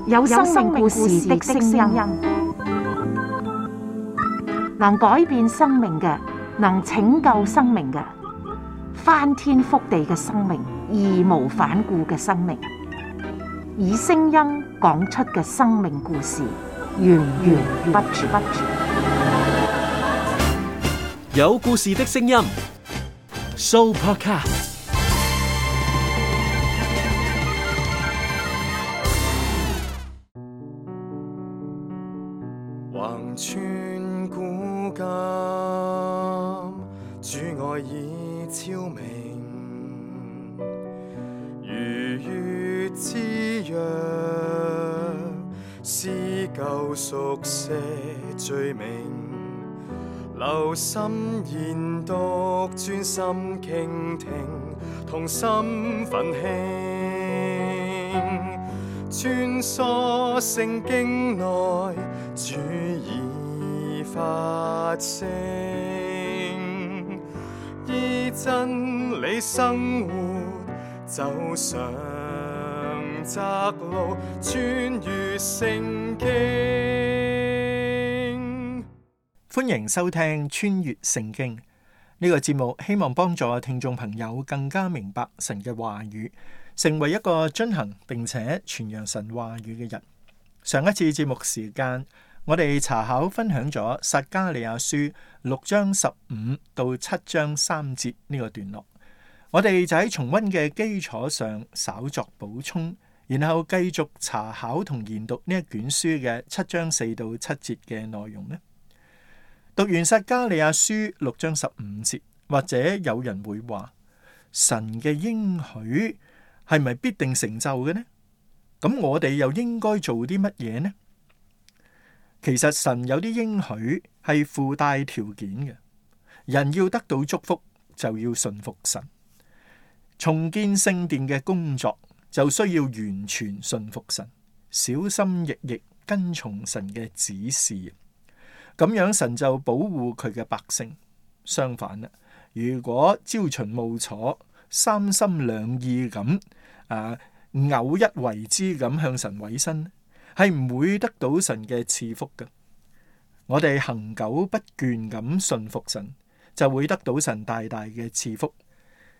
有生命故事的聲音，能改變生命嘅，能拯救生命嘅，翻天覆地嘅生命，義無反顧嘅生命，以聲音講出嘅生命故事，源源不絕。有故事的聲音 ，Sooopodcast。橫穿古今，主愛已超明，如月之約，撕舊熟寫罪名，留心研讀，專心傾聽，同心奮興，穿梭聖經內，主已發聲，依真理生活，走上窄路，穿越聖經。歡迎收聽穿越聖經呢個節目，希望幫助聽眾朋友更加明白神嘅話語，成為一個遵行並且傳揚神話語嘅人。上一次節目時間，我哋查考分享咗撒迦利亞書6章15到7章3節呢個段落，我哋就喺重溫嘅基礎上稍作補充，然後繼續查考同研讀呢一卷書嘅7章4到7節嘅內容呢。讀完撒迦利亞書6章15節，或者有人會話，神嘅應許係咪必定成就嘅呢？咁我哋又應該做啲乜嘢呢？其實神有啲應許係附帶條件嘅，人要得到祝福就要順服神。重建聖殿嘅工作就需要完全順服神，小心翼翼跟從神嘅指示，咁樣神就保護佢嘅百姓。相反啦，如果朝秦暮楚、三心兩意咁偶一為之咁向神委身，係唔會得到神嘅賜福嘅。我哋恆久不倦咁順服神，就會得到神大大嘅賜福。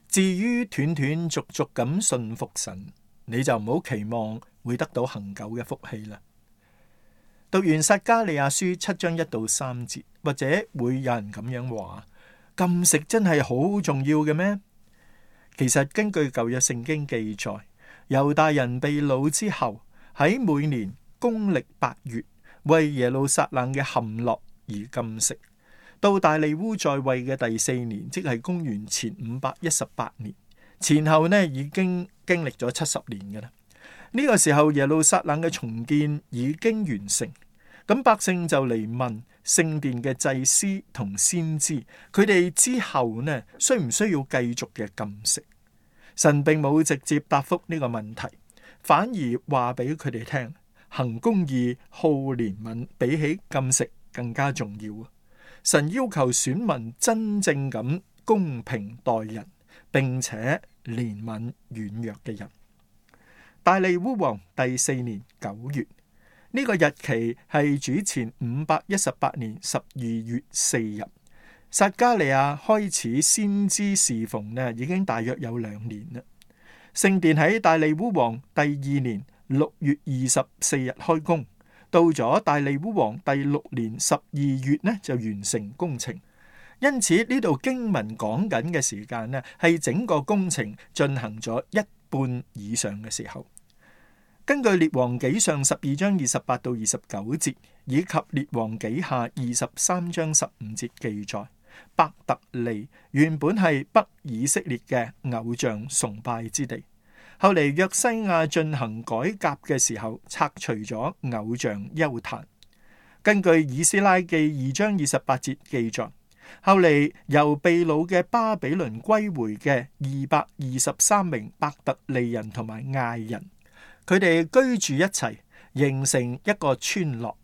至於斷斷續續咁順服神，你就唔好期望會得到恆久嘅福氣啦。讀完撒迦利亞書7章1到3節，或者會有人咁樣話：禁食真係好重要嘅咩？其實根據舊約聖經記載，猶大人被擄之後，喺每年公曆8月為耶路撒冷嘅陷落而禁食，到大利烏在位嘅第4年，即係公元前518年，前後呢已經經歷咗70年嘅啦。呢個時候耶路撒冷嘅重建已經完成，咁百姓就嚟問聖殿嘅祭司同先知，佢哋之後呢需唔需要繼續嘅禁食？神並冇直接答覆呢個問題，反而話俾佢哋聽，行公義、好憐憫比起禁食更加重要。神要求選民真正咁公平待人，並且憐憫軟弱嘅人。大利烏王第4年9月，呢個日期係主前518年12月4日。撒迦利亞開始先知侍奉呢，已經大約有2年啦。聖殿喺大利烏王第2年6月24日開工，到咗大利烏王第6年12月呢就完成工程。因此呢度經文講緊嘅時間呢，係整個工程進行咗一半以上嘅時候。根據列王紀上12章28到29節，以及列王紀下23章15節記載，伯特利原本係北以色列嘅偶像崇拜之地，後嚟約西亞進行改革嘅時候，拆除咗偶像邱壇。根據以斯拉記2章28節記載，後嚟由被擄嘅巴比倫歸回嘅223名伯特利人同埋艾人，佢哋居住一齊，形成一個村落。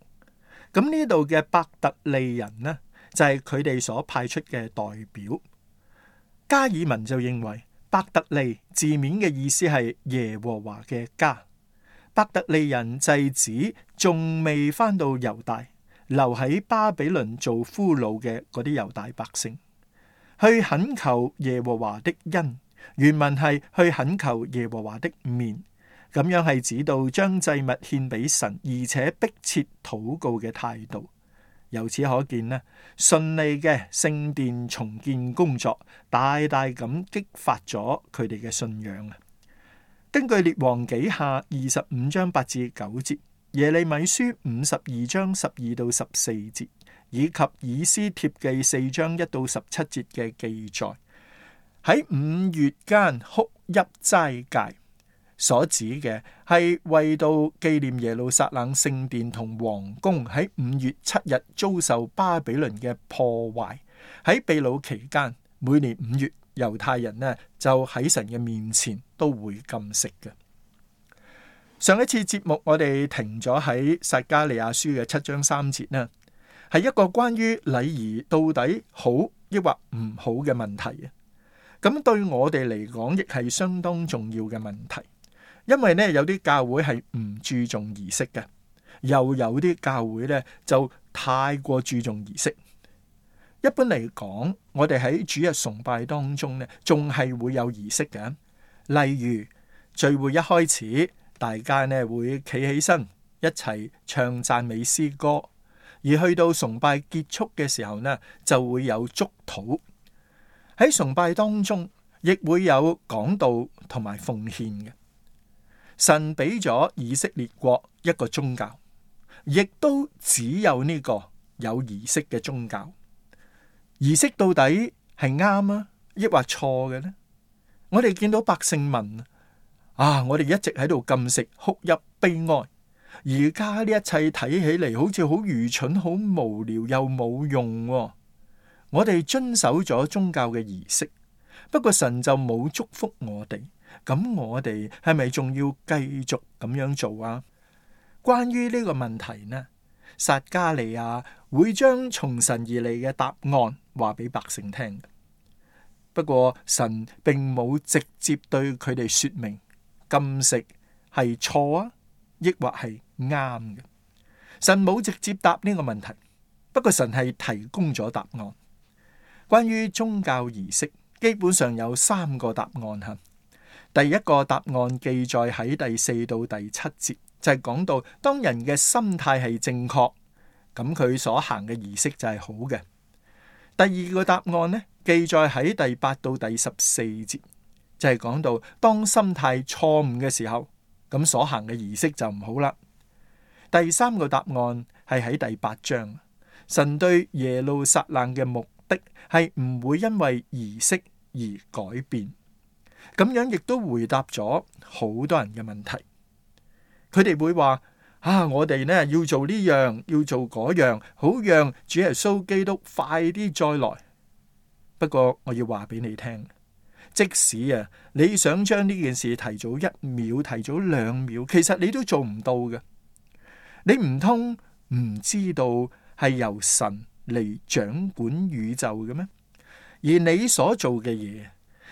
咁呢度嘅伯特利人呢，就係佢哋所派出嘅代表。加爾文就認為伯特利字面嘅意思係耶和華嘅家。伯特利人祭司仲未返到猶大，留喺巴比倫做俘虜嘅嗰啲猶大百姓，去懇求耶和華的恩。原文係去懇求耶和華的面，咁樣係指到將祭物獻俾神，而且迫切禱告嘅態度。由此可見呢，順利嘅聖殿重建工作大大咁激發咗佢哋嘅信仰啊！根據列王紀下25章8至9節、耶利米書52章12到14節，以及以斯帖記4章1到17節嘅記載，喺5月間哭泣齋戒所指嘅係為到紀念耶路撒冷聖殿同王宮喺5月7日遭受巴比倫嘅破壞。喺被擄期間，每年5月，猶太人呢就喺神嘅面前都會禁食嘅。上一次節目我哋停咗喺撒迦利亞書嘅7章3節呢，係一個關於禮儀到底好抑或唔好嘅問題啊。咁對我哋嚟講亦係相當重要嘅問題，因為呢有啲教會係唔注重儀式嘅，又有啲教會呢就太過注重儀式。一般嚟講，我哋喺主日崇拜當中呢，仲係會有儀式嘅。例如聚會一開始，大家呢會企起身一齊唱讚美詩歌，而去到崇拜結束嘅時候呢，就會有祝禱。喺崇拜當中，亦會有講道同埋奉獻嘅。神俾咗以色列國一個宗教，亦都只有呢個有儀式嘅宗教。儀式到底係啱啊，抑或錯嘅呢？我哋見到百姓問啊，我哋一直喺度禁食、哭泣、悲哀，而家呢一切睇起嚟好似好愚蠢、好無聊又冇用喎。我哋遵守咗宗教嘅儀式，不過神就冇祝福我哋，咁我哋係咪仲要繼續咁樣做啊？關於呢個問題呢，撒迦利亞會將從神而嚟嘅答案話俾百姓聽。不過神並冇直接對佢哋說明禁食係錯啊，抑或係啱嘅。神冇直接答呢個問題，不過神係提供咗答案。關於宗教儀式，基本上有3個答案吓。第一個答案記載喺第4到第7節，就係講到當人嘅心態係正確，咁佢所行嘅儀式就係好嘅。第二個答案呢，記載喺第8到第14節，就係講到當心態錯誤嘅時候，咁所行嘅儀式就唔好啦。第三個答案係喺第8章，神對耶路撒冷嘅目的係唔會因為儀式而改變。咁樣亦都回答咗好多人嘅問題。佢哋會話我哋呢要做呢樣，要做嗰樣，好讓主耶穌基督快啲再來。不過我要話俾你聽，即使你想將呢件事提早1秒，提早2秒，其實你都做唔到嘅。你唔通唔知道係由神嚟掌管宇宙嘅咩？而你所做嘅嘢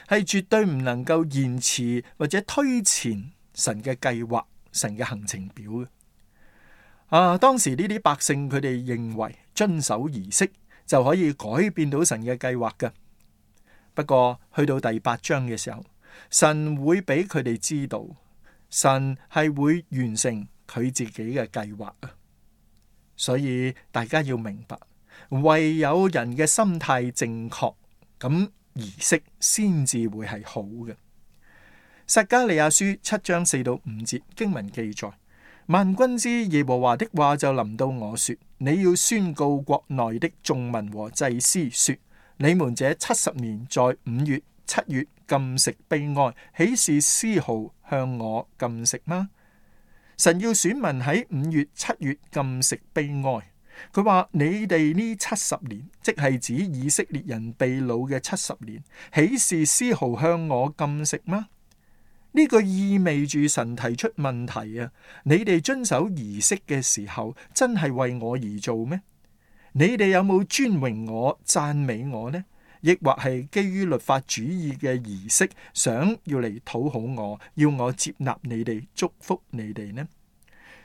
係絕對唔能夠延遲或者推前神嘅計劃、神嘅行程表嘅。當時呢啲百姓佢哋認為遵守儀式就可以改變到神嘅計劃嘅。不過去到第8章嘅時候，神會俾佢哋知道，神係會完成佢自己嘅計劃啊。所以大家要明白，唯有人嘅心態正確，咁儀式先至會係好嘅。撒迦利亞書7章4到5節經文記載，萬軍之耶和華的話就臨到我說，你要宣告國內的眾民和祭司說，你們這70年在5月7月禁食悲哀，豈是絲毫向我禁食嗎？神要選民喺5月7月禁食悲哀。佢話你哋呢70年，即係指以色列人被擄嘅70年，豈是絲毫向我禁食嗎？呢個意味住神提出問題啊！你哋遵守儀式嘅時候，真係為我而做咩？你哋有冇尊榮我、讚美我呢？抑或係基於律法主義嘅儀式，想要嚟討好我，要我接納你哋，祝福你哋呢？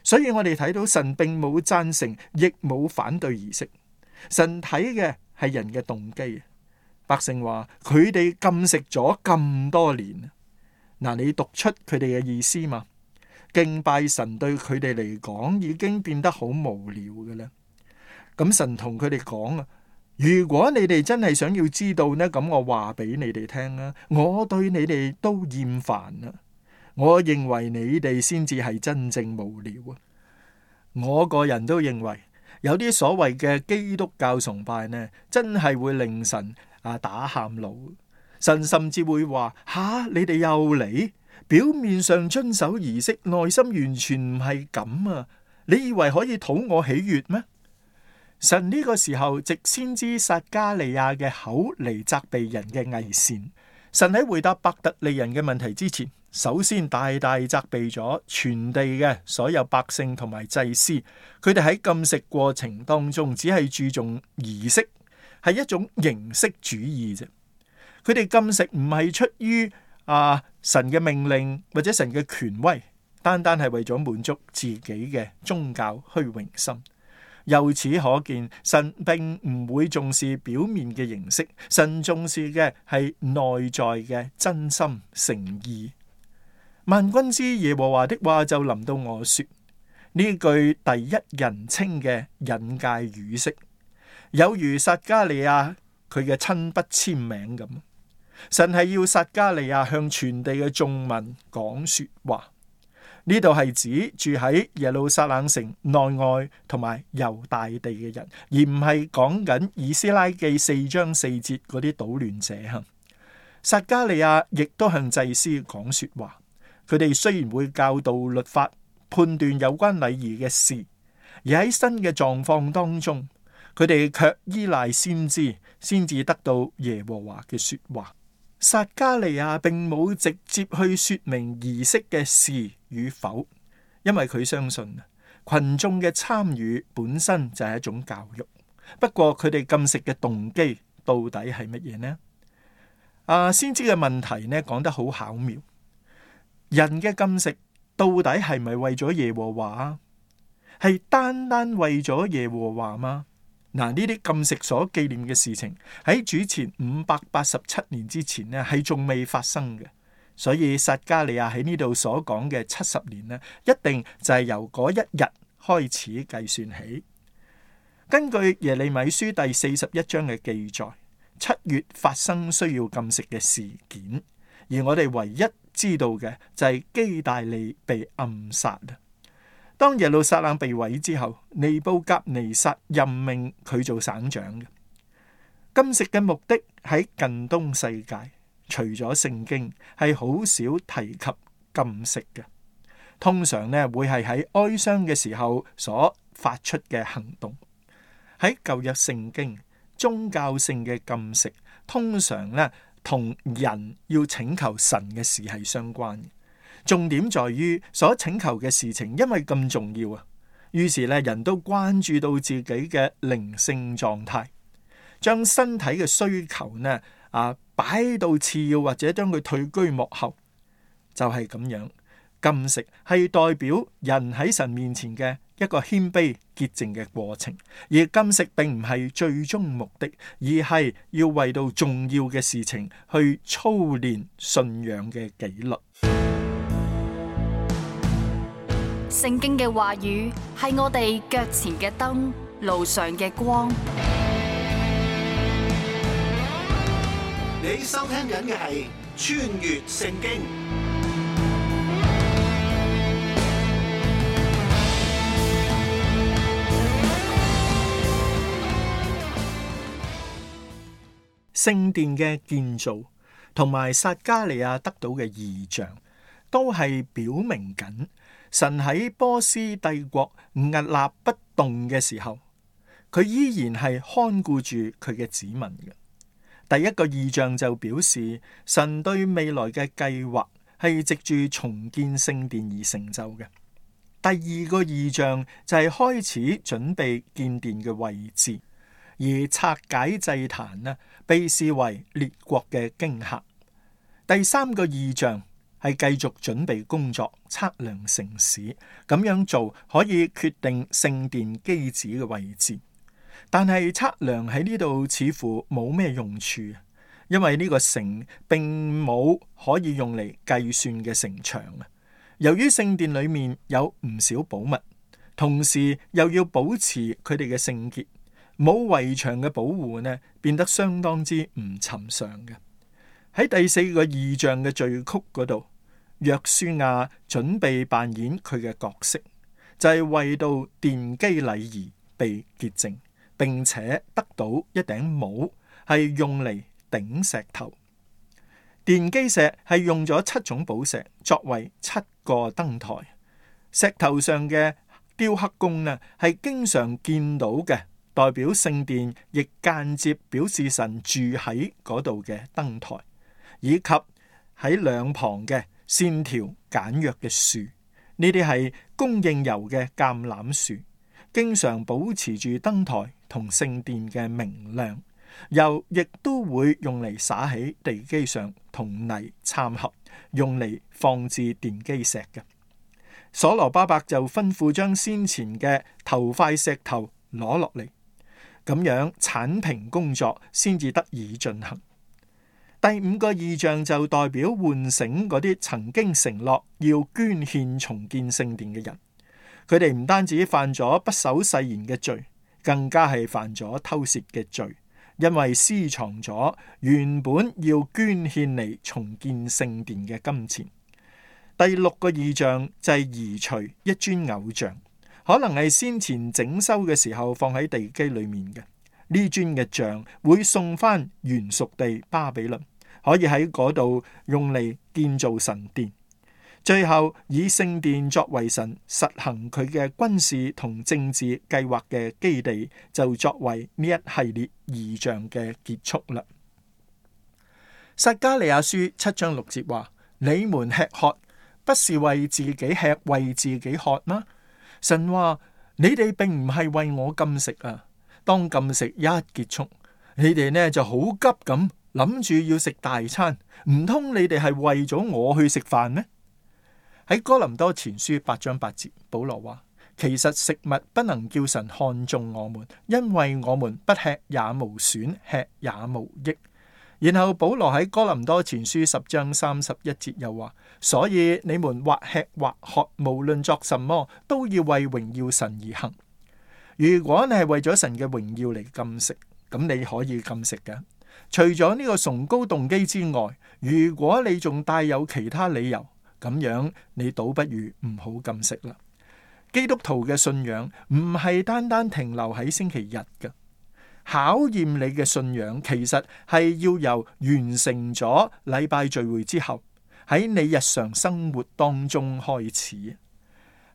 所以我哋睇到神並冇贊成，亦冇反對儀式。神睇嘅係人嘅動機。百姓話佢哋禁食咗咁多年，嗱，你讀出佢哋嘅意思嘛？敬拜神對佢哋嚟講已經變得好無聊嘅啦。咁神同佢哋講啊，如果你哋真係想要知道呢，咁我話俾你哋聽啦，我對你哋都厭煩啦。我認為你哋先至係真正無聊啊！我個人都認為有啲所謂嘅基督教崇拜呢，真係會令神打喊路。神甚至會話：你哋又嚟，表面上遵守儀式，內心完全唔係咁啊！你以為可以討我喜悅咩？神呢個時候藉先知撒迦利亞嘅口嚟責備人嘅偽善。神喺回答伯特利人嘅問題之前，首先大大責備咗全地嘅所有百姓同埋祭司，佢哋喺禁食過程當中只係注重儀式，係一種形式主義啫。佢哋禁食唔係出於神嘅命令或者神嘅權威，單單係為咗滿足自己嘅宗教虛榮心。由此可見，神並唔會重視表面嘅形式，神重視嘅係內在嘅真心誠意。萬軍之耶和華的話就臨到我說，呢句第一人稱嘅引介語式，有如撒迦利亞佢嘅親筆簽名咁。神係要撒迦利亞向全地嘅眾民講說話。呢度係指住喺耶路撒冷城內外同埋猶大地嘅人，而唔係講緊以斯拉記4章4節嗰啲搗亂者。撒迦利亞亦都向祭司講說話，佢哋雖然會教導律法、判斷有關禮儀嘅事，而喺新嘅狀況當中，佢哋卻依賴先知，先至得到耶和華嘅說話。撒迦利亞並冇直接去說明儀式嘅是與否，因為佢相信群眾嘅參與本身就係一種教育。不過佢哋禁食嘅動機到底係乜嘢呢？先知嘅問題呢講得好巧妙。人嘅禁食到底係咪為咗耶和華？係單單為咗耶和華嗎？呢啲禁食所紀念嘅事情喺主前587年之前呢係仲未發生嘅，所以撒迦利亞喺呢度所講嘅70年呢，一定就係由嗰一日開始計算起。根據耶利米書第41章嘅記載，7月發生需要禁食嘅事件，而我哋唯一知道嘅就係基大利被暗殺。當耶路撒冷被毀之後，尼布甲尼撒任命佢做省長嘅。禁食嘅目的喺近東世界，除咗聖經係好少提及禁食嘅，通常呢會係喺哀傷嘅時候所發出嘅行動。喺舊約聖經，宗教性嘅禁食通常呢同人要請求神嘅事係相關嘅。重點在於所請求嘅事情，因為咁重要啊，於是咧人都關注到自己嘅靈性狀態，將身體嘅需求呢擺到次要，或者將佢退居幕後，就係咁樣。禁食係代表人喺神面前嘅一個謙卑潔淨嘅過程，而禁食並唔係最終目的，而係要為到重要嘅事情去操練信仰嘅紀律。聖經嘅話語係我哋腳前嘅燈，路上嘅光。你收聽緊嘅係穿越聖經。聖殿嘅建造同埋撒迦利亞得到嘅異象，都係表明緊神喺波斯帝國屹立不動嘅時候，佢依然係看顧住佢嘅子民嘅。第一個異象就表示神對未來嘅計劃係藉住重建聖殿而成就嘅。第二個異象就係開始準備建殿嘅位置。而拆解祭壇呢，被視為列國嘅驚嚇。第三個異象係繼續準備工作，測量城市，咁樣做可以決定聖殿基址嘅位置。但係測量喺呢度似乎冇咩用處，因為呢個城並冇可以用嚟計算嘅城牆啊。由於聖殿裏面有唔少寶物，同時又要保持佢哋嘅聖潔，冇圍牆嘅保護呢，變得相當之唔尋常嘅。喺第四個異象嘅序曲嗰度，約書亞準備扮演佢嘅角色，就係為到奠基禮儀被潔淨，並且得到一頂帽，係用嚟頂石頭。奠基石係用咗7種寶石作為7個燈台，石頭上嘅雕刻工呢係經常見到嘅，代表聖殿，亦間接表示神住喺嗰度嘅燈台，以及喺兩旁嘅線條簡約嘅樹，呢啲係供應油嘅橄欖樹，經常保持住燈台同聖殿嘅明亮。油亦都會用嚟灑喺地基上，同泥摻合，用嚟放置奠基石嘅。所羅巴伯就吩咐將先前嘅頭塊石頭攞落嚟，咁樣鏟平工作先至得以進行。第5個異象就代表喚醒嗰啲曾經承諾要捐獻重建聖殿嘅人，佢哋唔單止犯咗不守誓言嘅罪，更加係犯咗偷竊嘅罪。因為私藏咗原本要捐獻嚟重建聖殿嘅金錢。第6個異象就係移除一尊偶像，可能係先前整修嘅時候放喺地基裏面嘅。呢尊嘅像會送翻原屬地巴比倫，可以喺嗰度用嚟建造神殿。最後以聖殿作為神實行佢嘅軍事同政治計劃嘅基地，就作為呢一系列異象嘅結束啦。撒迦利亞書7章6節話：你們吃喝不是為自己吃，為自己喝嗎？神話你哋並唔係為我禁食啊，當禁食一結束，你哋呢就好急咁諗住要食大餐，唔通你哋係為咗我去食飯咩？喺哥林多前書8章8節，保羅話：其實食物不能叫神看中我們，因為我們不吃也無損，吃也無益。然後保羅喺哥林多前書10章31節又話：所以你們或吃或喝，無論作什麼，都要為榮耀神而行。如果你係為咗神嘅榮耀嚟禁食，咁你可以禁食嘅。除咗呢個崇高動機之外，如果你仲帶有其他理由，咁樣你倒不如唔好禁食啦。基督徒嘅信仰唔係單單停留喺星期日嘅，考驗你嘅信仰其實係要由完成咗禮拜聚會之後，喺你日常生活當中開始。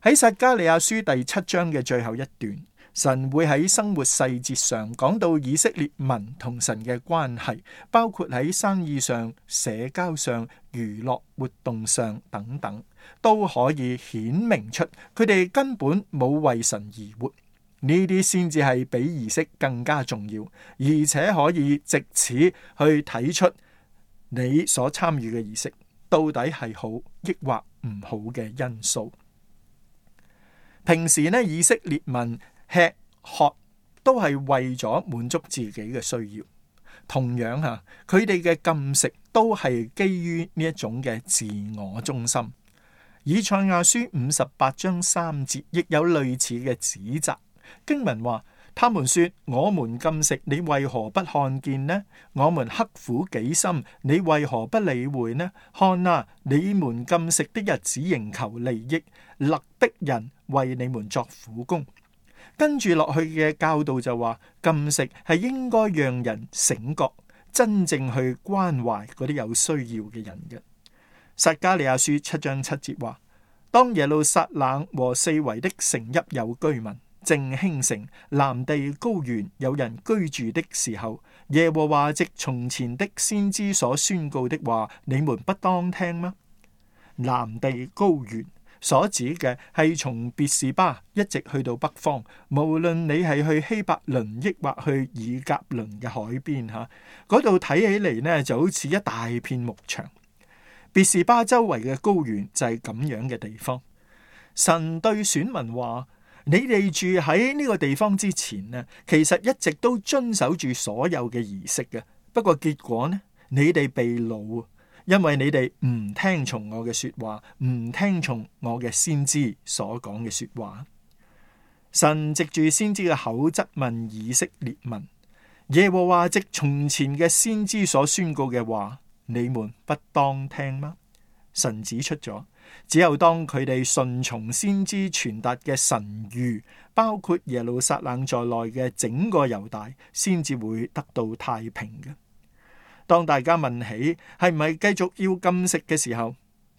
喺撒迦利亞書第7章嘅最後一段，神會喺生活細節上講到以色列民同神嘅關係，包括喺生意上、社交上、娛樂活動上等等，都可以顯明出佢哋根本冇為神而活。呢啲先至係比儀式更加重要，而且可以藉此去睇出你所參與嘅儀式到底係好抑或唔好嘅因素。平時呢，以色列民吃喝都係為咗滿足自己嘅需要，同樣吓，佢哋嘅禁食都係基於呢一種嘅自我中心。以賽亞書58章3節亦有類似嘅指責，經文話：他們說我們禁食，你為何不看見呢？我們刻苦己心，你為何不理會呢？看啊，你們禁食的日子仍求利益，勒逼人為你們作苦工。跟住落去嘅教導就話，禁食係應該讓人醒覺，真正去關懷嗰啲有需要嘅人嘅。撒迦利亞書7章7節話：當耶路撒冷和四圍的城邑有居民，正興盛，南地高原有人居住的時候，耶和華藉從前的先知所宣告的話，你們不當聽嗎？南地高原所指嘅係從別是巴一直去到北方，無論你係去希伯倫抑或去以革倫嘅海邊吓，嗰度睇起嚟呢就好似一大片牧場。別是巴周圍嘅高原就係咁樣嘅地方。神對選民話：你哋住喺呢個地方之前呢，其實一直都遵守住所有嘅儀式嘅。不過結果呢，你哋被擄，因為你哋唔聽從我嘅說話，唔聽從我嘅先知所講嘅說話。神藉住先知嘅口質問以色列民：耶和華藉從前嘅先知所宣告嘅話，你們不當聽嗎？神指出咗，只有當佢哋順從先知傳達嘅神諭，包括耶路撒冷在內嘅整個猶大，先至會得到太平嘅。當大家問起係唔係繼續要禁食嘅時候，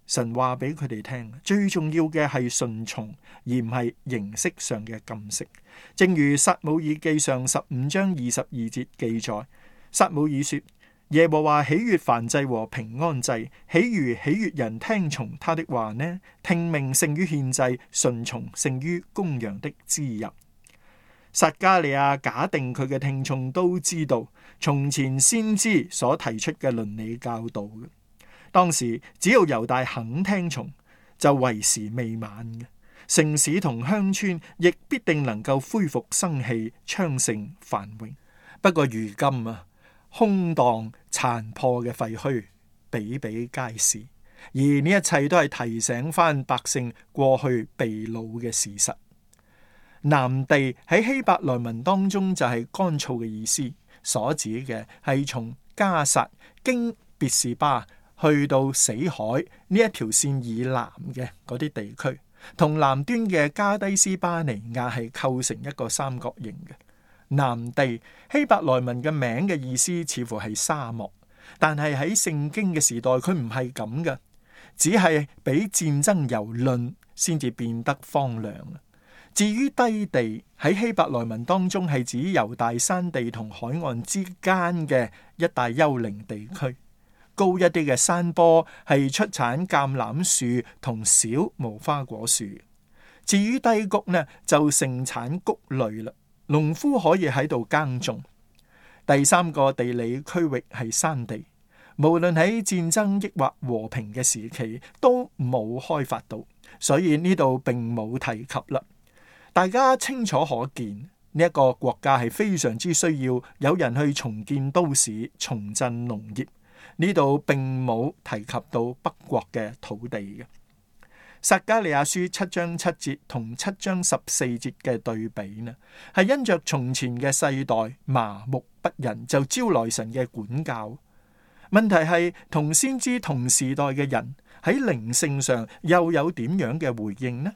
神話俾佢哋聽，最重要嘅係順從，而唔係形式上嘅禁食。正如撒母耳記上15章22節記載，撒母耳說：耶和華喜悅燔祭和平安祭，豈如喜悅人聽從他的話呢？聽命勝於獻祭，順從勝於公羊的脂油。撒迦利亞假定佢嘅聽眾都知道從前先知所提出嘅倫理教導嘅。當時只要猶大肯聽從，就為時未晚嘅。城市同鄉村亦必定能夠恢復生氣、昌盛、繁榮。不過如今啊，空蕩殘破嘅廢墟比比皆是，而呢一切都係提醒翻百姓過去被擄嘅事實。南地喺希伯來文當中就係乾燥嘅意思，所指嘅係從加撒經別是巴去到死海呢一條線以南嘅嗰啲地區，同南端嘅加低斯巴尼亞係構成一個三角形嘅。南地希伯來文嘅名嘅意思似乎係沙漠，但係喺聖經嘅時代佢唔係咁嘅，只係俾戰爭蹂躪先至變得荒涼。至於低地喺希伯來文當中係指猶大山地同海岸之間嘅一帶丘陵地區，高一啲嘅山坡係出產橄欖樹同小無花果樹。至於低谷呢，就盛產穀類啦，農夫可以喺度耕種。第三個地理區域係山地，無論喺戰爭抑或和平嘅時期都冇開發到，所以呢度並冇提及啦。大家清楚可見，呢一個國家係非常之需要有人去重建都市、重振農業。呢度並冇提及到北國嘅土地嘅。撒迦利亞書7章7節同7章14節嘅對比呢，係因着從前嘅世代麻木不仁，就招來神嘅管教。問題係同先知同時代嘅人喺靈性上又有點樣嘅回應呢？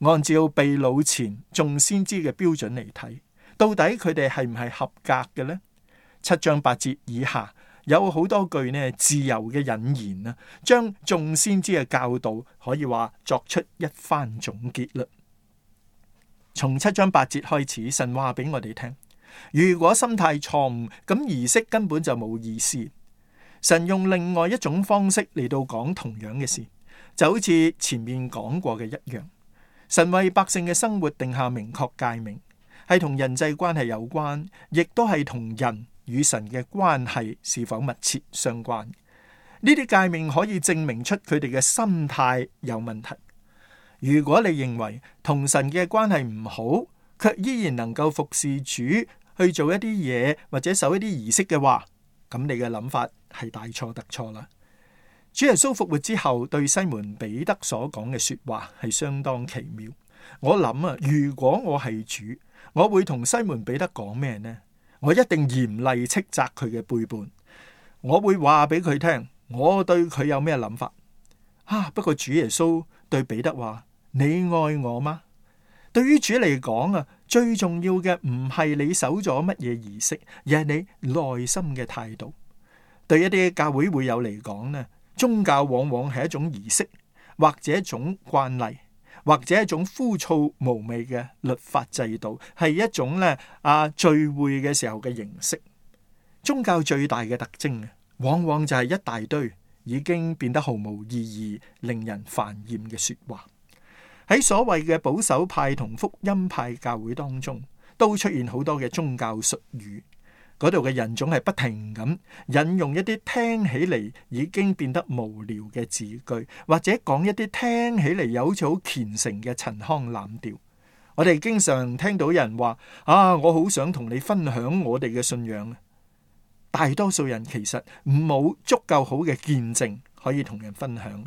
按照被擄前眾先知嘅標準嚟睇，到底佢哋係唔係合格嘅呢？7章8節以下有好多句呢自由嘅引言啊，將眾先知嘅教導可以話作出一番總結啦。從7章8節開始，神話俾我哋聽，如果心態錯誤，咁儀式根本就冇意思。神用另外一種方式嚟到講同樣嘅事，就好似前面講過嘅一樣。神為百姓嘅生活定下明確誡命，係同人際關係有關，亦都係同人與神嘅關係是否密切相關。呢啲誡命可以證明出佢哋嘅心態有問題。如果你認為同神嘅關係唔好，卻依然能夠服侍主去做一啲嘢或者守一啲儀式嘅話，咁你嘅諗法係大錯特錯啦。主耶穌復活之後對西門彼得所講嘅說話係相當奇妙。我諗啊，如果我係主，我會同西門彼得講咩呢？我一定嚴厲斥責佢嘅背叛。我會話俾佢聽，我對佢有咩諗法。不過主耶穌對彼得話：你愛我嗎？對於主嚟講啊，最重要嘅唔係你守咗乜嘢儀式，而係你內心嘅態度。對一啲教會會友嚟講呢，宗教往往係一種儀式，或者一種慣例，或者一種枯燥無味嘅律法制度，係一種聚會嘅時候嘅形式。宗教最大嘅特徵往往就係一大堆已經變得毫無意義、令人煩厭嘅說話。喺所謂嘅保守派同福音派教會當中，都出現好多嘅宗教術語。嗰度嘅人總係不停咁引用一啲聽起嚟已經變得無聊嘅字句，或者講一啲聽起嚟又好似好虔誠嘅陳腔濫調。我哋經常聽到人話：我好想同你分享我哋嘅信仰。大多數人其實冇足夠好嘅見證可以同人分享。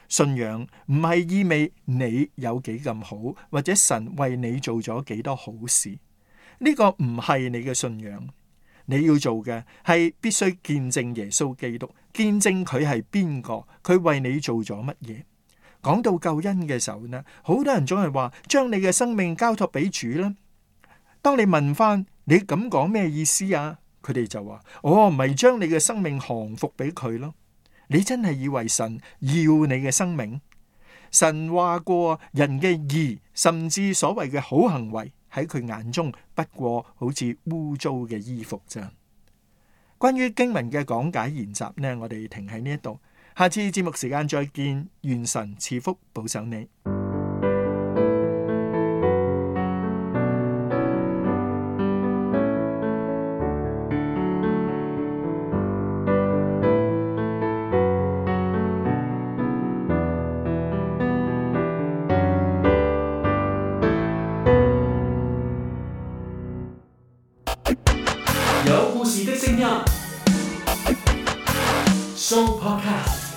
信仰唔係意味你有幾咁好，或者神為你做咗幾多好事。呢個唔係你嘅信仰。你要做嘅係必須見證耶穌基督，見證佢係邊個，佢為你做咗乜嘢。講到救恩嘅時候呢，好多人總係話將你嘅生命交託俾主啦。當你問翻你咁講咩意思啊？佢哋就話：唔係將你嘅生命降服俾佢咯。你真係以為神要你嘅生命？神話過人嘅義，甚至所謂嘅好行為，喺佢眼中不過好似污糟嘅衣服咋。關於經文嘅講解研習呢，我哋停喺呢一度，下次節目時間再見，願神賜福保守你。有故事的聲音 Show Podcast。